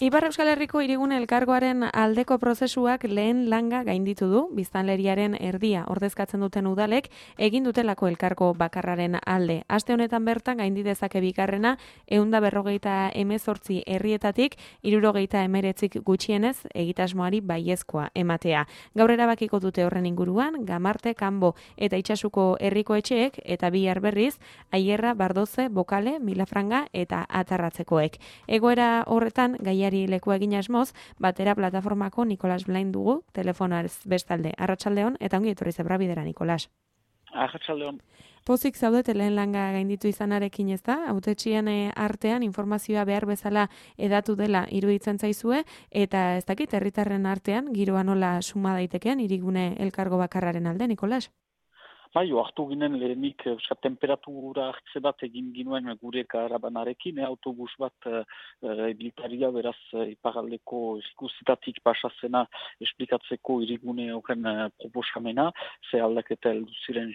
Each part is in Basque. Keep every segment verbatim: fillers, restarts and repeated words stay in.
Ipar Euskal Herriko Hirigune Elkargoaren aldeko prozesuak lehen langa gainditu du, biztanleriaren erdia ordezkatzen duten udalek egin dutelako elkargo bakarraren alde. Aste honetan bertan gaindi dezake bigarrena ehun eta berrogeita hemezortzi herrietatik hirurogeita hemeretzik gutxienez egitasmoari baiezkoa ematea. Gaur erabakiko dute horren inguruan Gamarte, Kanbo eta Itsasuko herriko etxeek eta bihar berriz Aierra, Bardoze, Bokale, Milafranga eta Atarratzekoek. Egoera horretan gaiari lekua egin asmoz, batera plataformako Nikolas Blain dugu, telefonaz bestalde. Arratsaldeon eta ongi etorri Zebra Bidera, Nikolas. Arratsaldeon. Pozik zaudete lehen langa gainditu izanarekin, ez da? Hautetxien artean informazioa behar bezala edatu dela iruditzen zaizue, eta ez dakit herritarren artean giroa nola suma daitekeen Hirigune Elkargo bakarraren alde, Nikolas? Bai, hartu ginen lehenik uh, temperatura hartze bat egin ginuen gure karabanarekin, eh, autobus bat uh, biltaria, beraz uh, iparaldeko eskusitatik pasazena esplikatzeko hirigune horren uh, proposamena, ze aldaketa heldu ziren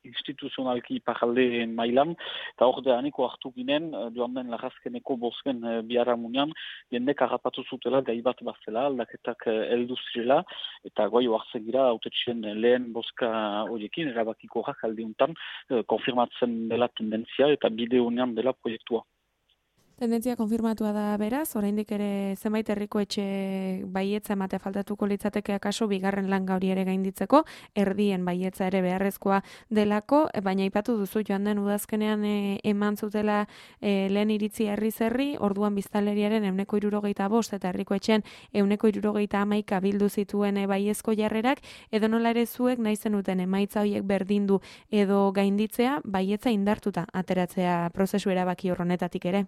instituzionalki iparalde mailan, eta hor deaniko hartu ginen, uh, joan den lagazkeneko bosken uh, biharamunean, jendek harrapatu zutela gai bat bazela, aldaketak uh, heldu zirela, eta goi hartzen gira, autetxien lehen boska horiekin, bakiko aldiuntan eh, konfirmatzen dela tendentzia eta bide honean dela proiektua. Tendentzia konfirmatua da beraz, oraindik ere zenbait herriko etxe baietza ematea faltatuko litzateke akaso bigarren langa hori ere gainditzeko, erdien baietza ere beharrezkoa delako, baina aipatu duzu joan den udazkenean e, eman zutela e, lehen iritzi herri zerri, orduan biztanleriaren ehuneko hirurogeita bost eta herriko etxean ehuneko hirurogeita hamaika bildu zituen e, baiezko jarrerak, edo nola ere zuek nahi zenuten emaitza horiek berdindu edo gainditzea, baietza indartuta ateratzea prozesu erabaki horrenetatik ere.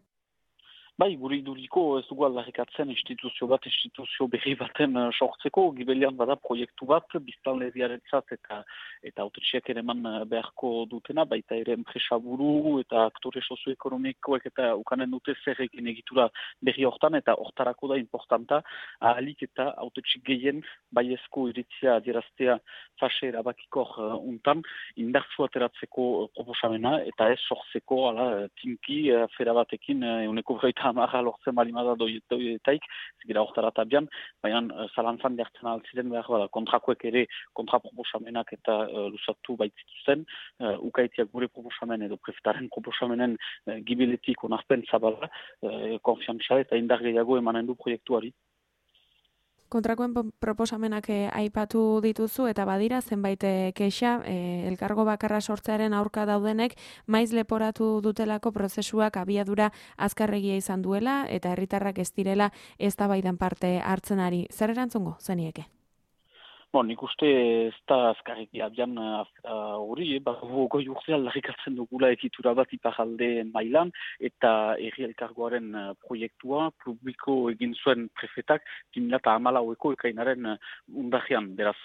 Bai, gure iduriko ez dugu aldarrikatzen instituzio bat, instituzio berri baten uh, sortzeko, gibelian bada proiektu bat, biztanleriarentzat eta eta autetxeak ere eman beharko dutena, baita ere enpresa buru eta aktore sozioekonomikoek eta ukanen dute zer egin egitura berri hortan, eta hortarako da importanta, ahalik eta autetxik gehien baiezko iritzia adieraztea fase erabakikor uh, untan, indartzu ateratzeko uh, proposamena, eta ez sortzeko, ala, tinki, uh, fera batekin, uh, euneko gaita amarra lortzen balimada doietaik, zigira hortarata bian, baina uh, zalantzan dertzen altziren behar bada, kontrakoek ere kontraproposamenak eta uh, lusatu baitzituzten, uh, ukaitiak gure proposamen edo prefetaren proposamenen uh, gibiletik onarpen zabala, uh, konfiantza eta indar gehiago emanen du proiektuari. Kontrakoen proposamenak eh, aipatu dituzu eta badira zenbait eh, kexa eh, elkargo bakarra sortzearen aurka daudenek maiz leporatu dutelako prozesuak abiadura azkarregia izan duela eta herritarrak ez direla eztabaidan parte hartzen ari. Zer erantzungo zenieke? Bon, nik uste ez da azkarriki abian hori, uh, uh, goi urte aldarrikatzen dugula egitura bat iparalde mailan, eta herri elkargoaren uh, proiektua publiko egin zuen prefetak bimilata hamalaueko ekainaren uh, undajean. Beraz,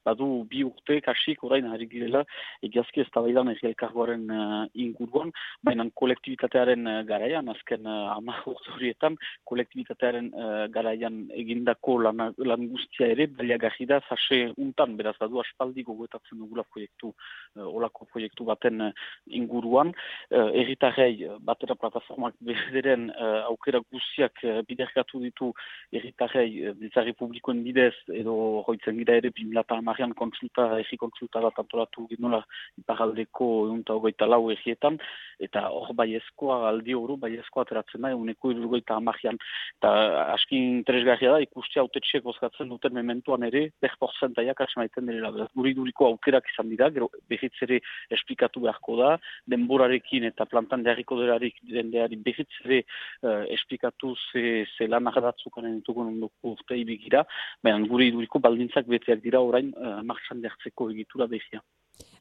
badu bi urte kasik orain harri girela egiazki ez da baidan herri elkargoaren uh, inguruan, baina kolektibitatearen uh, garaian, azken uh, hamar urte horietan, kolektibitatearen uh, garaian egindako lan, lan guztia ere, baliagarri da fase untan, beraz, badu aspaldi gogoetatzen dugula proiektu, uh, olako proiektu baten uh, inguruan. Uh, Erritarrei, batera plataformak bederen uh, aukera guztiak uh, biderkatu ditu erritarrei uh, biltzarri publikoen bidez, edo hoitzen gira ere bimilata hamarrean kontsulta, erri kontsulta bat antolatu ginola iparaldeko eunta hogeita lau errietan, eta hor baiezkoa aldi horu, baiezkoa ateratzen da, euneko irurgoita hamarrean. Eta aski interesgarria da, ikusti autetxeek bozkatzen duten mementuan ere, berportzen zentaiak asmaiten dira. Guri duriko aukerak izan dira, gero behitz ere esplikatu beharko da, denborarekin eta plantan jarriko delarik dendeari behitz ere uh, esplikatu ze, ze lan ardatzukanen entuko nondoko urte ibigira, baina guri duriko baldintzak beteak dira orain uh, martxan dertzeko egitura behia.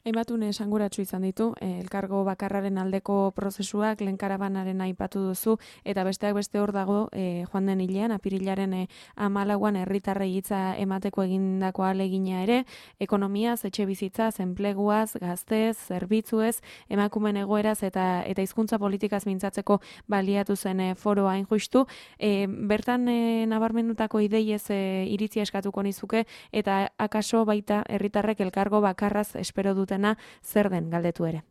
Hainbatune esanguratsu izan ditu, eh, elkargo bakarraren aldeko prozesuak, lehen karabanaren aipatu duzu, eta besteak beste hor dago, eh, joan den hilean, apirilaren eh, amalauan herritarrei hitza emateko egindako ahalegina ere, ekonomiaz, etxe bizitzaz, enpleguaz, gaztez, zerbitzuez, emakumen egoeraz eta eta hizkuntza politikaz mintzatzeko baliatu zen eh, foroa hain justu. Eh, bertan eh, nabarmendutako ideiez eh, iritzia eskatuko nizuke, eta akaso baita herritarrek elkargo bakarraz espero dutena zer den galdetu ere.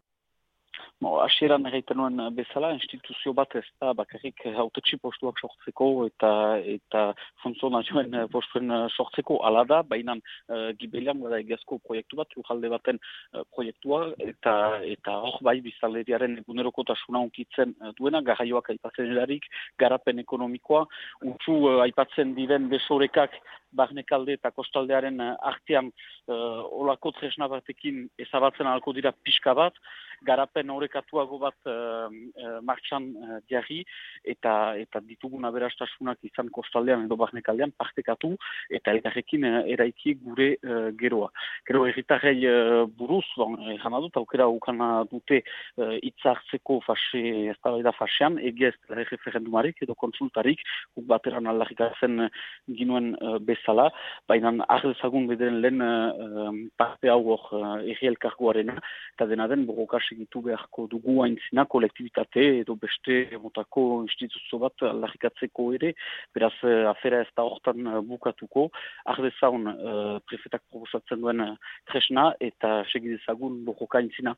Bo, hasieran egiten nuen bezala, instituzio bat ez da bakarrik hautetsi postuak sortzeko eta eta funtzionarioen postuen sortzeko ala da, baina uh, gibelian bada egiazko proiektu bat, lujalde baten uh, proiektua, eta eta hor bai biztanleriaren egunerokotasuna unkitzen uh, duena, garraioak aipatzen erarik, garapen ekonomikoa, untzu uh, aipatzen diren besorekak barnekalde eta kostaldearen uh, artean uh, olako tresna batekin ezabatzen alko dira pixka bat, garapen horrekatuago bat uh, uh, martxan uh, diarri eta eta ditugun aberastasunak izan kostaldean edo barnekaldean partekatu eta elkarrekin uh, eraiki gure uh, geroa. Gero herritarrei uh, buruz, bon, jana dut, aukera ukana dute uh, itzartzeko fase, ez da baida fasean, egia ez da referendumarik edo konsultarik, guk bateran aldarrikatzen uh, ginuen uh, bezala, baina ardezagun bederen lehen uh, parte hau hor uh, erri elkargoarena, eta dena den borrokas egitu beharko dugu haintzina kolektibitate edo beste motako instituzio bat aldarrikatzeko ere, beraz afera ez da hortan bukatuko, ardezaun uh, prefetak proposatzen duen uh, tresna eta segidezagun borroka haintzina.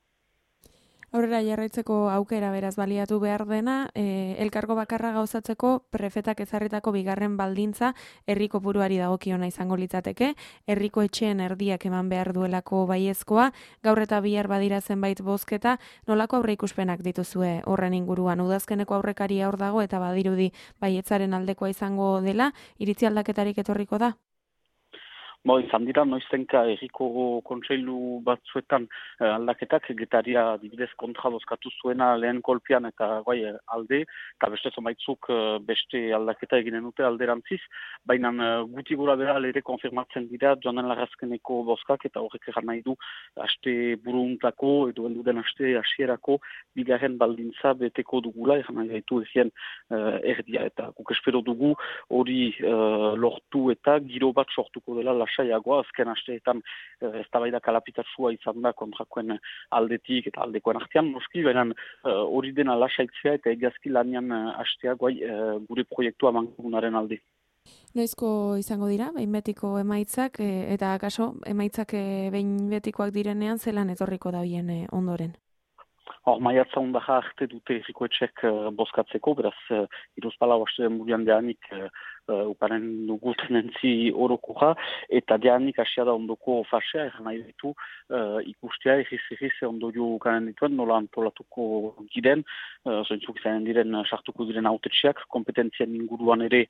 Aurrera jarraitzeko aukera beraz baliatu behar dena, e, elkargo bakarra gauzatzeko prefetak ezarritako bigarren baldintza herriko buruari dagokiona izango litzateke, herriko etxeen erdiak eman behar duelako baiezkoa, gaur eta bihar badira zenbait bozketa, nolako aurreikuspenak dituzue horren inguruan, udazkeneko aurrekaria hor dago eta badirudi baietzaren aldekoa izango dela, iritzi aldaketarik etorriko da? Bo, izan dira, noiztenka erriko kontseilu batzuetan eh, aldaketak, getaria dibidez kontra bozkatu zuena lehen kolpian eta guai alde, eta beste zomaitzuk eh, beste aldaketa eginen dute alderantziz, baina eh, guti gura bera ere konfirmatzen dira joanen larrazkeneko bozkak eta horrek egan nahi du haste buruntako edo elduden haste hasierako bigarren baldintza beteko dugula, egan nahi gaitu ezien eh, erdia, eta guk espero dugu hori eh, lortu eta giro bat sortuko dela lasaiagoa, azken asteetan ez da baida kalapitatsua izan da kontrakoen aldetik eta aldekoen artean, noski, baina hori uh, dena lasaitzea eta egiazki lanian uh, astea guai uh, gure proiektua mankomunaren alde. Noizko izango dira, behin betiko emaitzak, e, eta akaso emaitzak e, behin betikoak direnean zelan etorriko da bien e, ondoren? Hor, maiatza ondaja arte dute errikoetxek uh, bozkatzeko, beraz, uh, iruzpala hoste murian deanik uh, uh, ukaren dugu tenentzi orokoja, eta deanik asia da ondoko fasea, eran nahi ditu uh, ikustea erriz-erriz ondorio ukaren dituen, nola antolatuko giren, uh, zointzuk izan diren sartuko diren autetxeak, kompetentzien inguruan ere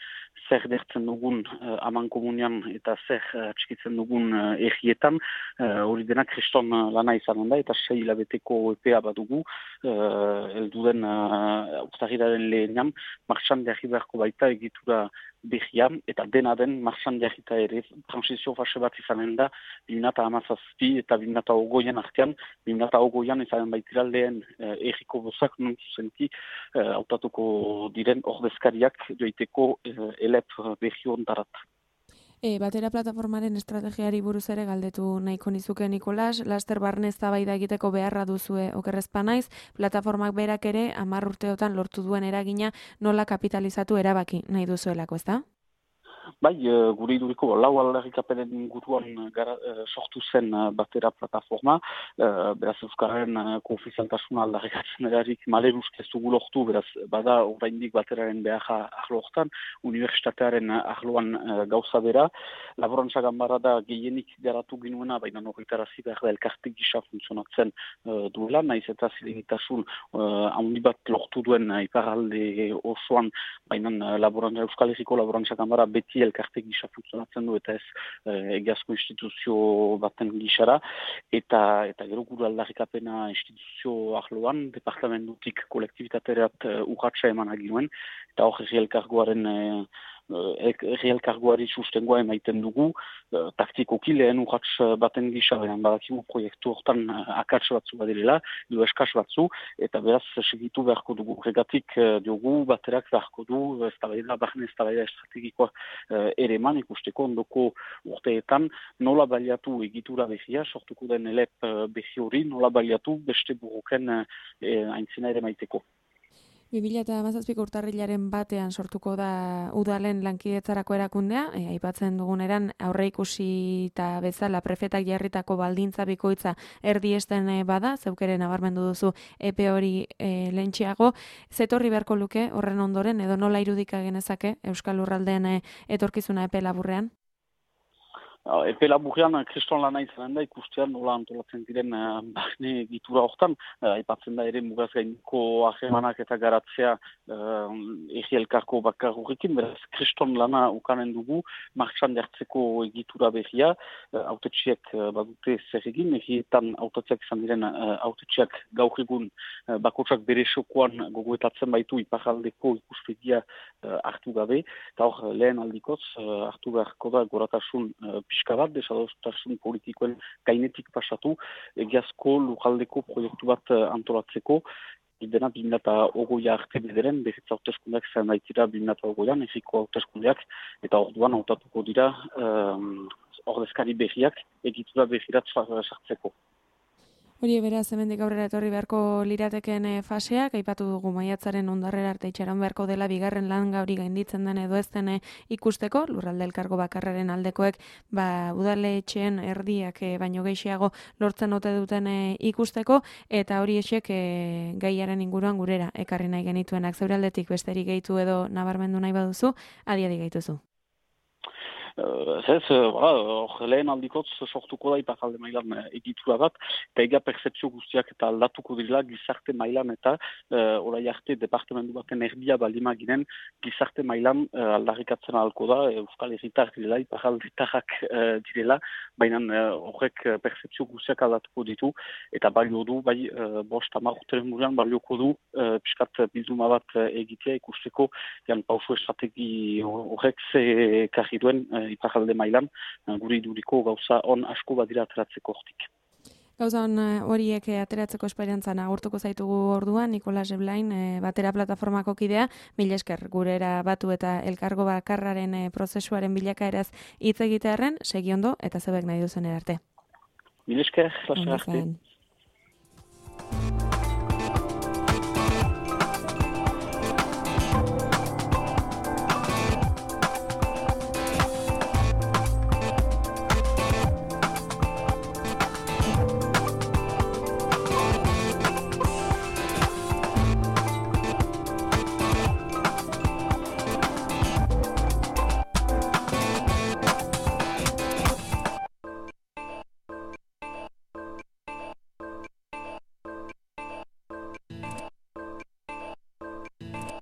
zer dertzen dugun uh, aman komunian eta zer uh, txikitzen dugun uh, errietan, hori uh, denak kriston uh, lana izanen da, eta sei hilabeteko epea badugu, Uh, elduden uh, urtahiraren lehenean, martxan jarri beharko baita egitura behian, eta dena den martxan jarrita ere transizio fase bat izanen da, bimnata hamazazpi eta bimnata ogoian artean, bimnata ogoian izanen baitira lehen uh, erriko bozak non zuzenki uh, autatuko diren ordezkariak joiteko uh, elep behi ondarat. E, batera plataformaren estrategiari buruz ere galdetu nahiko nizuke Nikolas, laster barne eztabaida egiteko beharra duzue okerrezpa naiz, plataformak berak ere hamar urteotan lortu duen eragina nola kapitalizatu erabaki nahi duzuelako, ezta? Bai, gure iduriko lau aldarrikapenen inguruan gara, sortu zen batera plataforma, beraz Euskararen konfizialtasuna aldarrikatzen erarik maleruz ez dugu lortu, beraz bada oraindik bateraren beharra ahlo hortan, unibertsitatearen ahloan gauza bera, laborantza ganbara da gehienik garatu ginuena, baina horretarazi behar da elkarte gisa funtzionatzen duela, naiz eta zilegitasun handi bat lortu duen iparalde osoan, baina laborantza, Euskal Herriko laborantza ganbara beti elkarte gisa funtzionatzen du eta ez eh, egiazko instituzio baten gisara, eta eta gero gure aldarrikapena instituzio ahloan, departamentutik kolektibitaterat uh, urratsa eman aginuen, eta hor herri elkargoaren uh, herri elkargoari sustengoa emaiten dugu, uh, taktikoki lehen urrats baten gisa, baina badakigu proiektu hortan uh, akats batzu badirela, edo eskas batzu, eta beraz segitu beharko dugu. Regatik uh, diogu, baterak beharko du, eztabaida, barne eztabaida estrategikoa uh, ere eman, ikusteko ondoko urteetan, nola baliatu egitura behia, sortuko den elep uh, behi hori, nola baliatu beste buruken uh, aintzina ere maiteko. bi mila hamazazpiko urtarrilaren batean sortuko da udalen lankidetzarako erakundea, e, aipatzen duguneran aurreikusi eta bezala prefetak jarritako baldintza bikoitza erdiesten e, bada, zeukeren nabarmendu duzu epe hori e, lentxeago, zetorri beharko luke horren ondoren edo nola irudika genezake Euskal Lurraldeen e, etorkizuna epe laburrean? Epe laburrean, kriston lana izanen da, ikustean nola antolatzen diren uh, barne egitura hortan, uh, aipatzen da ere mugaz gainiko ahemanak eta garatzea uh, egi elkarko bakar horrekin, beraz kriston lana ukanen dugu, martxan jartzeko egitura berria, uh, autetxiek uh, badute zer egin, egietan autetxiak izan diren uh, autetxiak gaur egun uh, bakotsak bere sokoan gogoetatzen baitu iparaldeko ikuspegia uh, hartu gabe, eta hor lehen aldikoz uh, hartu beharko da goratasun uh, pixka bat, desadostasun politikoen gainetik pasatu, egiazko lujaldeko proiektu bat antolatzeko, dena bi mila hogeia arte bederen, behetza hauteskundeak zen daitira bi mila hogeian, egiko hauteskundeak, eta orduan hautatuko dira um, ordezkari berriak egitura berrirat sartzeko. Hori beraz, hemendik aurrera etorri beharko lirateken faseak, aipatu dugu maiatzaren ondarrera arte itxaron beharko dela bigarren lan gauri gainditzen den edo ez den ikusteko, Lurralde Elkargo bakarraren aldekoek, ba, udaletxeen erdiak e, baino gehiago lortzen ote duten e, ikusteko, eta hori esek e, gaiaren inguruan gurera ekarri nahi genituenak. Zeure aldetik besterik gehitu edo nabarmendu nahi baduzu, adiadi gehituzu. Uh, ez, hor uh, lehen aldikotz sortuko da iparalde mailan uh, egitura bat, eta ega percepzio guztiak eta aldatuko direla gizarte mailan eta uh, orai arte departamentu baten erdia balima ginen gizarte mailan uh, aldarrikatzen ahalko da, Euskal Herritar direla, iparaldetarrak uh, direla, baina horrek uh, percepzio guztiak aldatuko ditu, eta balio du, bai, uh, bost hamar urteren murean balioko du uh, piskat bilduma bat uh, egitea ikusteko, jan pausu estrategi horrek ze karri duen uh, iparalde mailan, guri iduriko gauza on asko badira ateratzeko hortik. Gauza on horiek ateratzeko esperientzan agurtuko zaitugu orduan, Nikolas Eblain, Batera plataformako kidea, mila esker gurera batu eta elkargo bakarraren prozesuaren bilakaeraz hitz egitearren, segi ondo eta zebek nahi duzen erarte. Mila esker, lasai arte.